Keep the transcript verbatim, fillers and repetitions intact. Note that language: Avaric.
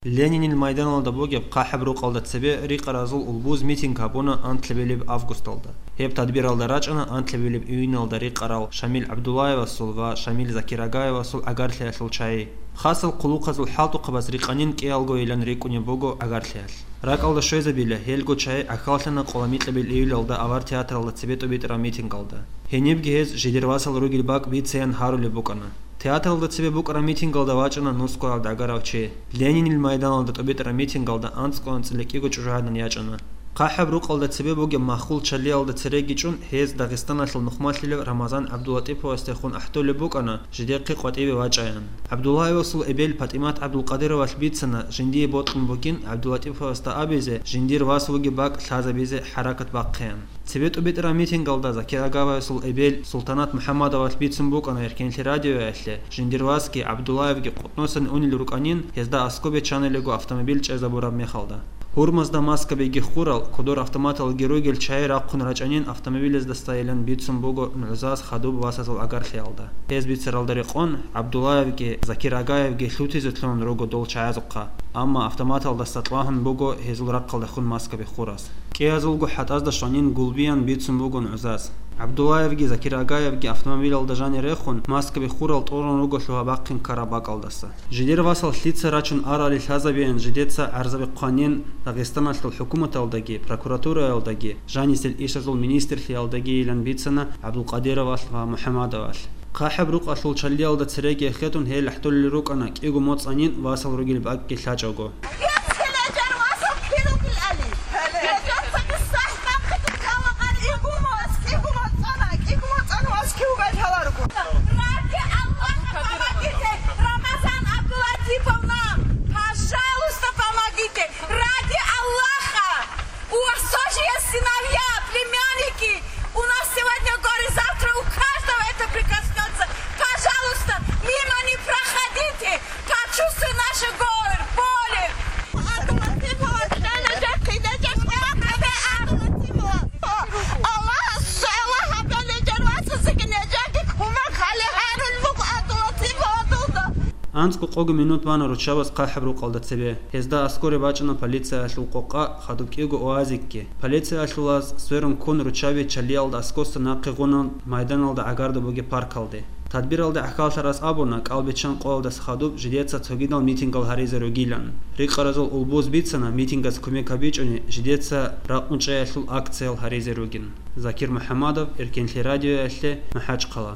Ленинил майданалда бугеб ХъахӀаб рукъалда цебе рикъаразул улбуз митинг гьабуна анлъабилеб августалда. Гьеб тадбиралда рачӀана анлъабилеб июналда рикъарал Шамил ГӀабдуллаевасул ва Шамил Закирагаевасул гӀагарлъиялъул чагӀи. Хасал хъулухъазул хӀалтӀухъабаз рикъанин кӀиялгойилан рикӀкӀунеб буго гӀагарлъиялъ. РакӀалда щвезабила, гьелго чагӀи гӀахьаллъана къоломикьабил июлалда авар театралда цебе тӀубитӀараб митингалда. Гьенибги гьез жидер васал ругел бакӀ бицеян гьарулеб букӀана. Театралда цебе букӀараб митингалда вачӀана нусгоялда гӀагарав чи. Ленинил майданалда тӀубитӀараб митингалда анцӀго анцӀила кӀиго чӀужугӀадан ячӀана. ХъахӀаб рукъалда цебе бугеб маххул чалиялда цереги чӀун, гьез Дагъистаналъул нухмалъилев Рамазан ГӀабдулатӀиповасдехун ахӀдолеб букӀана, жидехъе къватӀибе вачӀаян. ГӀабдуллаевасул эбел ПатӀимат ГӀабдулкъадировалъ бицана, жиндие бокьун бугин ГӀабдулатӀиповасда абизе, жиндир вас вугеб бакӀ лъазабизе хӀаракат бахъеян. Цебе тӀубитӀараб митингалда Закир Агаваевасул эбел Султанат МухӀаммадовалъ бицун букӀана Эркенлъи радиоялъе, жиндир васги ГӀабдуллаевги къотӀносан унел рукӀанин, гьезда аскӀоб биччанилего автомобиль чӀезабураб мехалда. Гьурмазда маскабиги хурал, кодор автоматалги ругел чагӀи рахъун рачӀанин автомобилездасайилан бицун буго нугӀзаз хадуб васазул гӀагарлъиялда. Гьез бицаралда рекъон, ГӀабдуллаевги Закир Агаевги лъутизе лъугьун руго дол чагӀазухъа, амма автоматалдаса кьвагьун буго гьезул рахъалдехун маскаби хурас. КӀиязулго хӀатӀазда щванин гулбиян бицун буго нугӀзаз. ГӀабдуллаевги Закир Агаевги автомобилалда жанир рехун, маскаби хурал тӀорун руго лъугьа-бахъин ккараб бакӀалдаса. Жидер васал лъица рачун арали лъазабеян жидеца гӀарзаби хъванин Дагъистаналъул хӀукуматалдаги, прокуратураялдаги, жанисел ишазул министрлъиялдагийилан бицана ГӀабдулкъадировалъ ва МухӀамадовалъ. ХъахӀаб рукъалъул чалиялда цереги эхетун гьел ахӀдолел рукӀана кӀиго моцӀанин васал ругел бакӀги лъачӀого. Ради Аллаха, помогите! Рамазан Абдулатиповна, пожалуйста, помогите! Ради Аллаха! У вас тоже есть сыновья, племянники! У нас сегодня горе, завтра у каждого это прикоснётся. Пожалуйста, мимо не проходите! Прочувствуй наше горе, боли! АнцӀго къого минут бана руччабаз ХъахӀаб рукъалда цебе. Гьезда аскӀоре бачӀана полициялъул къокъа хадуб кӀиго уазикги. Полициялъулаз сверун ккун руччаби чалиялда аскӀоса нахъе гъунан майданалда гӀагарда бугеб паркалде. Тадбиралде гӀахьаллъарас абуна, кӀалбиччан къоялдаса хадуб жидеца цогидал митингал гьаризе ругилан. Рикъаразул улбуз бицана, митингас кумек гьабичӀони, жидеца ракъун чӀеялъул акциял гьаризе ругин. Закир МухӀамадов, Эркенлъи радиоялъе, МахӀачхъала.